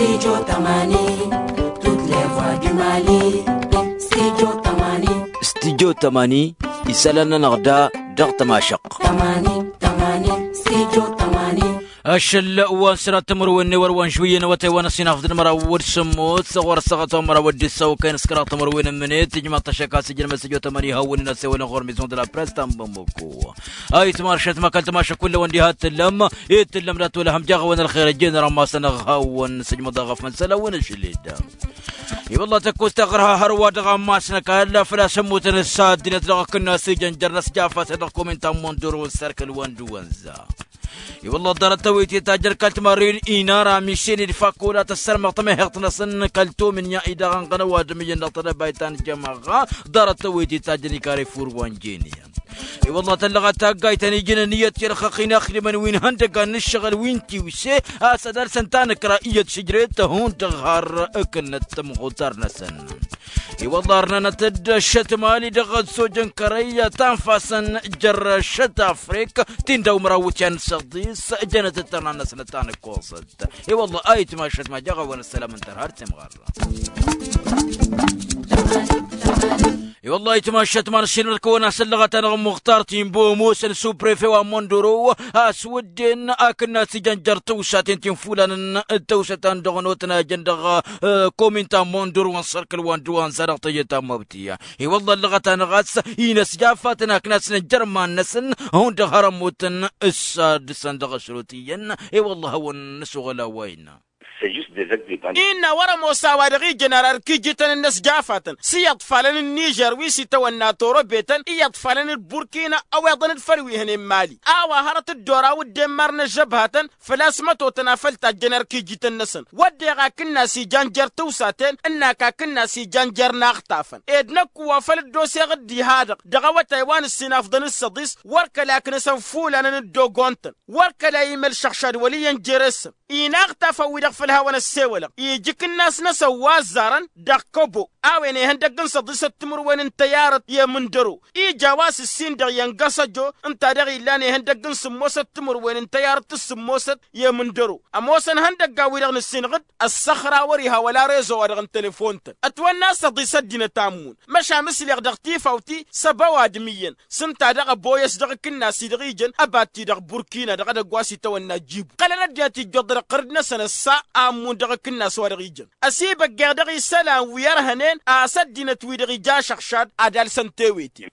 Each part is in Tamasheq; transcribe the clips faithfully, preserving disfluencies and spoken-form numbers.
Studio tămani, toutes les voix du Mali. Studio tămani. Studio tămani, isălan-nănăɣ da dăɣ-tămašăqq. Tămani, tămani, studio tămani. Ašăl wa n-sărat timǝrwen n-ewăr wa n-žwǝyyăn awătay wa n-ăsinafḍăn măraw d-sǝmmos ɣur-ăssaɣăt wa n-măraw d-issăw kăyăn s-kăraḍ timǝrwen n-imǝnet ijmaḍ-t ašăk a-s ijăn măsăjo tămani hawăn-in ăsewălăn ɣur-mizon d-la press ta n-bamăko. Ayǝtmar šătma kăl-tămašăk kull-awăn diha t-tǝllăm. Itǝllăm dat-wăla hăm jaɣ-awăn ălxer ăjjeen rămmasăn ăɣhawăn s-ijmăḍ aɣăf mănsăl-awăn ašăl-ed. I-wălla tăkkost taɣărha hărwa dăɣ-ammas n-ăkall făl-a-s ămmutăn s-ad-dinăt dăɣ-akǝnna s-ijăn jer-năsjafasăn dăɣ-komintan mondoro n-sărkǝl wănd wănza. I-wălla ḍarăt tawăyte ta jăn kăl-timarren inara misen-dd fakola tăssărmăɣ tămăheḍt-năsăn kăl-tomǝnya-i-dăɣ ănɣăn ăwadǝm iyyăn dăɣ-tedăbayt ta n-jămaɣa. Ḍarăt tawăyte ta jăn ikar efur wa n-jene. I-wălla tăllăɣăt taggayt ta n-ijǝn ănniyăt i-ălxăqq-in ixdǝmăn wi n-ihăndăggan n-ǝššăɣǝl wi n-tiwse a-s ad-alsăn tanǝkra iyyăt šǝjret hundăɣ har ǝkǝnnăt tămɣutar-năsăn. I-wălla ărnănăt-dd ăššăt mali dăɣ-ăzzojăn kărăy ta n-fasăn jer-ăššăt afrik ti n-dăw măraw wǝtyan n-săḍis. Jănăt-dd tărna-năsnăt ta n-ǝkkoẓăt. I-wălla ayǝtma ăššăt ma jaɣ-awăn ăssălam ǝnta har harăt imɣarra. I-wălla ayǝtma ăššăt ma n-ăššinămăt kăwăn-asăllăɣăt-anăɣ muxtar timbo ămoosăn suprefe wa n-măndoro a-s wǝdden akǝnna s-ijăn jer-tawsaten ti n-fulanăn d-tawsăt ta n-dăɣ-notăn a jăn dăɣ-kominta n-măndoro n-sărkǝl wa n-dăɣ-wa n-sa dăɣ-teje ta n-mabtiya. I-wălla ăllăɣăt-anăɣ a-s inăsjafatăn akǝnna s-năjjăr iman-năsăn hundăɣ har ămmutăn s-ad-dăɣ-săn dăɣ-ašrut iyyăn. I-wălla a hawăn-nǝsuɣǝl a-wa innă. Innă wăr-ămoos a-wa dăɣ-ijăn ar arkijităn n-inăsjafatăn s-iyyăḍ falăn n-nižer wi s-itawănna torobetăn iyyăḍ falăn d-burkina ăweḍăn-dd făll-wi hănen mali a-wa hărăt dd-oraw dd-emmar n-ăžžăbhatăn. Făl-a-s mătotăn a făl tajjăn arkijităn-năsăn wădden akǝnna s-ijan jer-tawsaten ǝnn'-ak akǝnna s-ijan jer-inaɣtafăn ed năkk wa făl dd-oseɣ dd-iha-dăɣ dăɣ-awătay wa n-ǝssinafḍăn d-săḍis wăr kăla aknăsăn fulanăn dd-ogontăn wăr kăla imăl šăɣšad wăl' iyyăn jere-săn. Inaɣtafăn-wi-dăɣ făl hawăn-ăssewălăɣ ija ikǝnnas-năsăn wa ăzzarăn dăɣ-kăbo a-wen ihăndăgg n-săḍisăt timǝrwen n-tăyyarăt i-amǝndăro ija a-wa s-ǝssin dăɣ-iyyăn găsăjo ǝnta-dăɣ illan ihăndăgg n-sǝmmosăt timǝrwen n-tăyyarăt s-sǝmmosăt i-amǝndăro. Ămoosăn ihăndăgg a-wi-dăɣ nǝssinɣǝd ăssăxra wăr-iha wăla rezo-wa-dăɣ n-telefon-tăn ătwănna s-săḍis ăddinăt a ǝmmun. Măšan mǝslăɣ dăɣ-tifawt-i s-ăba ăwadǝm iyyăn s-ǝnta dăɣ-ăboyăs dăɣ-akǝnnas-i-dăɣ ijăn ăba t-i-dăɣ burkina dăɣ-edăgg wa s-itawănna jibu ǝqqălăn ăddinăt ijjoḍ dăɣ-iqqărǝd-năsăn ăssa a ǝmmun dăɣ-akǝnnas wa-dăɣ ijăn. Ăsibăggeɣ dăɣ-isălan wi ărhănen a-s ăddinăt-wi-dăɣ ija ašăɣšad ad-alsăn tewete.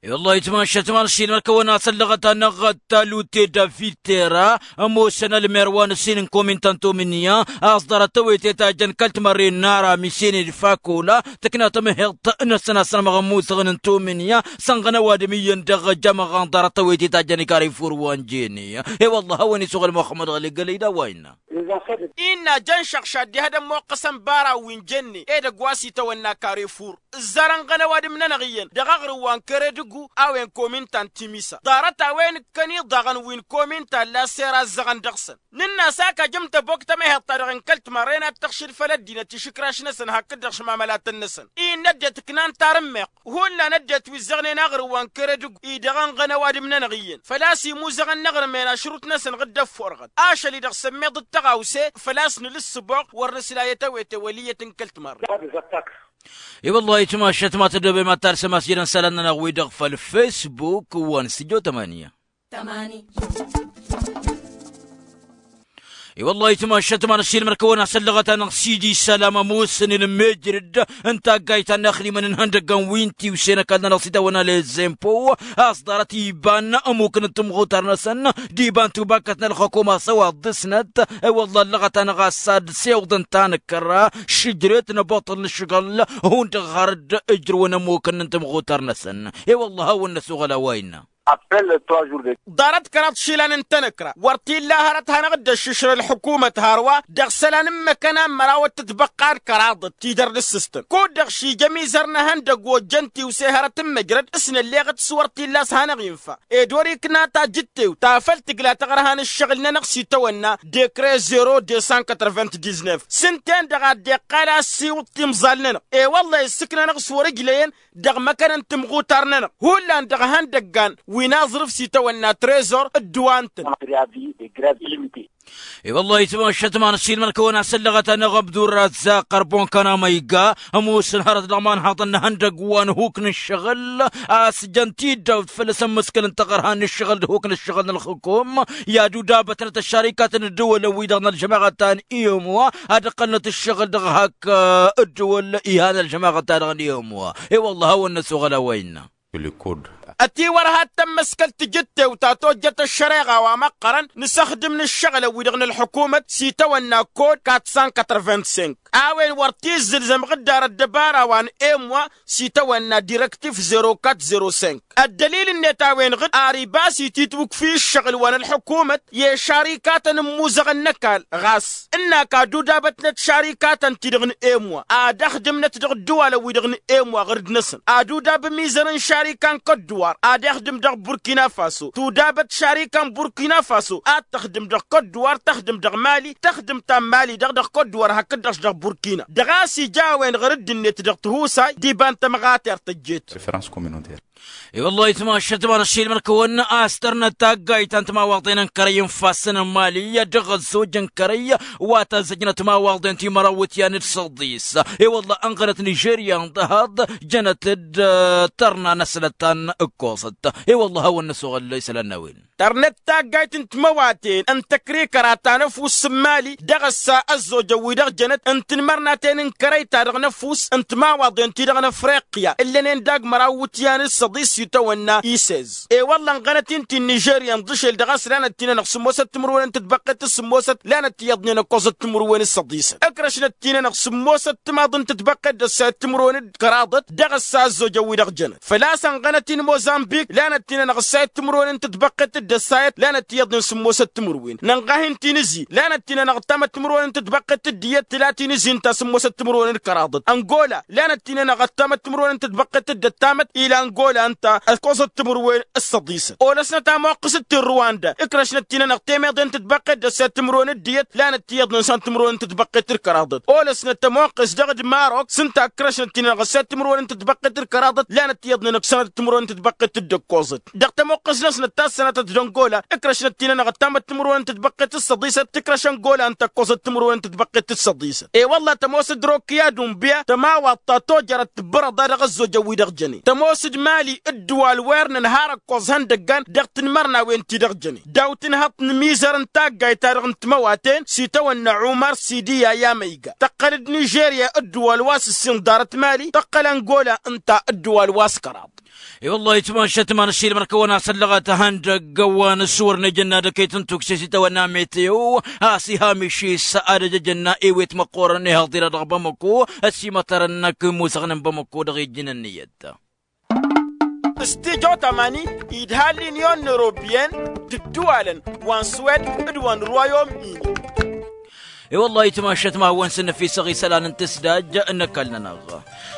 I-wăllah itmašăt ma n-ăššilmăr kăwăn-asăllăɣăt-anăɣ talute david tera ămoosăn ălmer wa n-ǝssin n-kominta n-tomǝnya a-s ḍarăt tewete ta jăn kăl-timărre n-ara misen-ed fakola tǝkna tămăheḍt-năsăn a-s ănmăɣ ămmusăɣăn n-tomǝnya sănɣăn ăwadǝm iyyăn dăɣ-jămăɣa n-ḍarăt tewete ta jăn ikarifur wa n-jene. I-wăllah a-wen isuɣǝl muxămmăd ɣăli gălăy d-a-wa innă. Innă jăn šăɣšad diha d-ămmoqqăsăn bara-wi n-jenne edăgg wa s-itawănna karefur ǝzzarăn-ɣăn ăwadǝm-nănăɣ iyyăn dăɣ-aɣrǝw wa n-kere dăggu a-wen kominta n-timisa ḍarăt a-wen ǝkkăn iḍaɣăn wi n-kominta n-laser a ǝzzăɣăn dăɣ-săn. Nǝnn'-as ak ajǝm tăbok tămăheḍt-ta-dăɣ n-kăl-timărren ad-tăɣšǝd făll-ăddinăt išǝkraš-năsăn hakd-dăɣ šmamalătăn-năsăn innă ăddinăt ǝknan tarǝmmeɣt. Hullan ăddinăt wi ǝzzăɣnen aɣrǝw wa n-kere dăggu-i dăɣ-ănɣăn ăwadǝm-nănăɣ iyyăn făl-a-s imuzăɣăn n-aɣrǝm-en ašrut-năsăn ɣǝddăf furɣăt ašăl-i-dăɣ sămmeḍ d-tăɣawse. Făl-a-s nǝlǝssǝboɣ wăr nǝsla i-tewete wăl' iyyăt n-kăl-timărre. I-wăllah itmašăt ma tăddoobem ad-talsăm a-s jădăn isălan-nănăɣ-wi-dăɣ făll-fesbuk wa n-studio tămani. I-wăllah itmašăt ma n-ăššilmăr-kăwăn-asăllăɣăt-anăɣ sidi isălam ămoosăn ilmejrǝd n-taggayt ta n-inaxdimăn n-ihăndăggăn wi n-tiwse n-ăkall-nănăɣ s-itawănna lezempo a-s ḍarăt iban ămukăn n-tǝmɣutar-năsăn d-iba n-tubakkăt n-ălxukuma s-ăwaḍ dăɣ-snăt. I-wăllah ăllăɣăt-anăɣ a-s ad-sewḍăn tanăkkăra šǝjret n-abuṭṭăl n-ǝššăɣǝl hundăɣ har dd-ǝjrǝwăn ămukăn n-tǝmɣutar-năsăn. I-wăllah a hawăn-năsuɣăl a-wa innă. Ḍarăt kăraḍ išilan n-tanăkra wăr t-illa hărăt hanăɣ-dd-ăššǝšră ălḥukumăt hărwa dăɣ-isălan n-imăkkăn a n-mărawăt tǝtbăqqa d-kăraḍăt ti dăr-nǝssǝstăn kud-dăɣ šija amizăr n-ehăndăgg ojjăn tiwse hărăt n-măjrăd s-nălleɣăt s-wăr t-illa a-s hanăɣ-infa. Ed wăr-ikna tajǝttewt ta făl tǝgla taɣărha n-ǝššăɣǝl-nănăɣ s-itawănna dekre zero deux cent quatre-vingt-dix-neuf s-ǝnta-en-dăɣ a dd-iqqal a ăssiwǝḍ timẓal-nănăɣ. I-wălla issǝknănăɣ s-wăr-ǝjlăyăn dăɣ-imăkkăn n-timɣutar-nănăɣ hullan dăɣ-ihăndăggan wi n-aẓrǝf s-itawănna trezor ǝddǝwa-nătăn. I-wăllah itmašăt ma n-ašilmăn kăwăn-asăllăɣăt anăɣ-ăbdurra zaqărbon kănamăyga ămoosăn hărăt dăɣ-imanhaḍăn n-ihăndăgg wa n-huk n-ǝššăɣǝl. A-s jăn-t-dd-awt făll-asămmăskăl n-taɣărha n-ǝššăɣǝl d-huk n-ǝššăɣǝl n-ălxǝkum i-ad-udabătnăt ăššarikatăn ǝddǝwălăn-wi-dăɣ n-ălžămaɣăt ta n-iyǝmwa ad-ǝqqălnăt ǝššăɣǝl dăɣ-hak ǝddǝwăl ihan ălžămaɣăt-ta-dăɣ n-iyǝmwa. I-wăllah a hawăn-năsoɣăl a-wa innă. Ătiwărha d-tămmăskăl tijǝttewt ta tojjăt ăššăreɣa wa măqqărăn nǝsăxdǝm n-ǝššăɣǝlăn-wi-dăɣ n-ălḥukumăt s-itawănna kod kat san katărbent-sink a-wen wăr t-izzǝlzăm ɣǝddar ăddăbara wa n-emwa s-itawănna direktif zero kat zero sink. Ăddălil-net a-wen-dăɣ d-ar ibas ititwǝkfi ǝššăɣǝl wa n-ălḥukumăt i-ăššarikatăn ǝmmuzăɣăn n-ăkall ɣas ǝnnak ad-udabătnăt šarikatăn-ti-dăɣ n-emwa ad-ăxdǝmnăt dăɣ-ǝddǝwalăn-wi-dăɣ n-emwa ɣǝrǝd-năsăn ad-udab ămizăr n-šarika n-kădduwar ad-ixdǝm dăɣ-burkina faso tudabăt šarika n-burkina faso ad-tăxdǝm dăɣ-kădduwar tăxdǝm dăɣ-mali tăxdǝm ta n-mali-dăɣ dăɣ-kădduwar hakd-dăɣ-s dăɣ-burkina dăɣ-a-s ija a-wen-dăɣ ɣǝrǝd-net dăɣ-tihusay d-iba n-tămɣatert tăjjeet. I-wăllah itmašăt ma n-ašilmăn kăwăn-asdărnăt taggayt ta n-timawaḍen n-kărăy n-ifassăn n-mali dăɣ-ăzzoj n-kărăy wa tăzzăjnăt timawaḍen timăraw wǝtyan d-săḍis. I-wăllah ănɣălăt nižerya n-dăhaḍ jănăt-dd tărna n-asnăt ta n-ǝkkoẓăt. I-wăllah a hawăn-năsoɣăl isălan n-a-wen. Tărnăt taggayt n-timăwaten n-tăkrikăra ta n-ăfuss n-mali dăɣ-ăssa ăzzojăn-wi-dăɣ jănăt n-tinmărnaten n-kărăy-ta-dăɣ n-ăfuss n-timawaḍen-ti-dăɣ n-afriqya ǝllănen dagg măraw wǝtyan d-săḍis s-itawănna isez. I-wălla ănɣănăt-in ti n-nižerya n-ḍǝšel dăɣ-a-s lanăt-t-inănăɣ sǝmmosăt timǝrwen n-tǝtbăqqet d-sǝmmosăt lanăt-t iyyăḍnen ăkkoẓăt timǝrwen d-săḍisăt ǝkrăšnăt-t-inănăɣ sǝmmosăt timaḍ n-tǝtbăqqet d-ăssayăt timǝrwen d-kăraḍăt dăɣ-ăssa ăzzojăn-wi-dăɣ jănăt. Făl-a-s ănɣănăt-in mozănbik lanăt-t-inănăɣ ăssayăt timǝrwen n-tǝtbăqqet d-ăssayăt lanăt-t iyyăḍnen sǝmmosăt timǝrwen nănɣa-hin-t-in-ǝzzi lanăt-t-inănăɣ ăttamăt timǝrwen n-tǝtbăqqet d-iyyăt tǝla-t-in-ǝzzi ǝnta sǝmmosăt timǝrwen d-kăraḍăt ăngola lanăt-t-inănăɣ ăttamăt timǝrwen n-tǝtbăqqet d-ăttamăt ila ăngola ǝnta ăkkoẓăt timǝrwen d-săḍisăt olăsnăt amoqqǝs d-ti n-ruwanda ǝkrăšnăt-t-inănăɣ temeḍe n-tǝtbăqqet d-ăssayăt timǝrwen d-iyyăt lanăt-t iyyăḍnen s-an timǝrwen n-tǝtbăqqet d-kăraḍăt olăsnăt ămoqqǝs dăɣ-dd-marok s-ǝnta ǝkrăšnăt-t-inănăɣ ăssayăt timǝrwen n-tǝtbăqqet d-kăraḍăt lanăt-t iyyăḍnen ǝksănăt timǝrwen n-tǝtbăqqet d-ăkkoẓăt dăɣ-tămoqqǝsnăsnăt ta s-sănatăt d-ăngola ǝkrăšnăt-t-inănăɣ ăttamăt timǝrwen n-tǝtbăqqet d-săḍisăt tǝkrăš ăngola ǝnta ăkkoẓăt timǝrwen n-tǝtbăqqet d-săḍisăt. I-wălla tămoos d-rokki ad-unbiya tămawaḍt ta tojărăt tǝbbărăḍ a dăɣ-ăzzojăn-wi-dăɣ jănen tămoos d-mali ǝddǝwal wer nǝnhar ăkkoẓ ihăndăggan dăɣ-tinmărnawen-ti-dăɣ jănen daw-tǝnhăḍt n-imizăr n-taggayt-ta-dăɣ n-timăwaten s-itawănna umar sidiya i-amăyga tăqqăl-dd nižerya ǝddǝwal wa s-ǝssin ḍarăt mali tăqqăl ăngola ǝnta ǝddǝwal wa s-kăraḍ. I-wăllah itmašăt ma n-ašilmăn kăwăn-asăllăɣăt ihăndăgg wa n-ăswărăn ejănna d-ăkayt n-tukse s-itawănna meteo a-s ihamiš-is ad-ăj ejănna ewet măqqoorăn ihăḍ-i-dăɣ dăɣ-bamăko ăsimătărăn akǝmmusăɣnen bamăko dăɣ-ijjǝn ǝnniyăt. S-tijo tamani idha linyon n-europiyăn d-ǝddǝwalăn wa n-swed d-wa n-ruwayom-ini. I-wăllah itmašăt ma hawăn-sǝnnăfisăɣ isălan n-tǝsdaj n-ăkall-nănăɣ.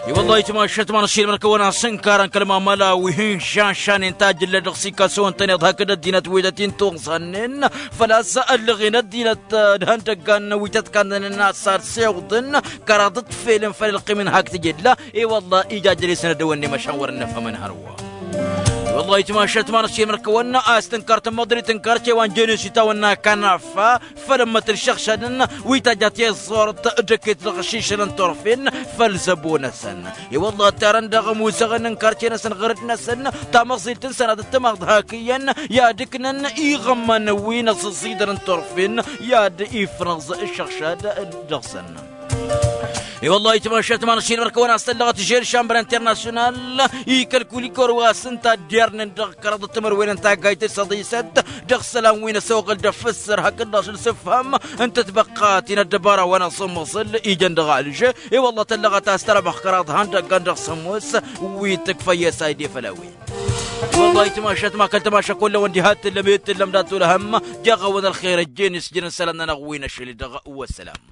I-wăllah itmašăt ma n-ašilmăn kăwăn-asǝnkarăn kăl-mamăla wi hin-šanšannen tajǝlla dăɣ-sikasăwăn-tăn iḍhak d-ăddinăt wi tăt-in-tuẓannen făl-a-s ăllăɣen ăddinăt d-ihăndăggan wi tăt-kannănen a-s ad-siwǝḍăn kăraḍăt felăn făll-ălqim-in hak tǝjǝlla. I-wăllah ija jăl-e-săn ad-dăwănnem ăšan wăr-ănnăfhămăn hărwa. I-wăllah itmašăt ma n-ašilmăn kăwăn-asǝnkar tămmăḍrit n-karce wa n-jenes itawănna kanafa făll-ămmăt n-išăɣšadăn wi tajja tiẓẓurt d-ăkket dăɣ-ašišăl n-turfen făll-zăbo-năsăn. I-wăllah ăttarăn dăɣ-imuzăɣăn n-karce-năsăn ɣărăd-năsăn tamăẓilt n-sănatăt timaḍ hak iyyăn i-ad-ǝknăn iɣămman wi n-aẓǝẓẓidăr n-turfen i-ad-ifrăẓ išăɣšad dăɣ-săn. I-wăllah itmašăt ma n-ašilmăn kăwăn-asăllăɣăt žel šambăr internasyonal ikăl-kulikor wa s-ǝnta dd-irnen dăɣ-kăraḍăt timǝrwen n-taggayt d-săḍisăt dăɣ-isălan wi n-ăsoɣăl d-ăffǝssăr hakd-dăɣ šăl s-ǝfham n-tătbăqqa ti n-ăddăbara wa n-asǝmmăẓǝl ijăn dăɣ-alž. I-wălla tăllăɣăt a-s tărămăɣ kăraḍ han dăggan dăɣ-sămoos wi tǝkfăyye s-ayde făll-a-wen. I-wălla itmašăt ma kăl-tămaša kull-ăwăn diha t-tǝllăm i-t-tǝllăm dat-olăhăm. Jaɣ-awăn ălxer ăjjeen isjǝn isălan-nănăɣ wi n-ašăl-i-dăɣ. Wăssălam.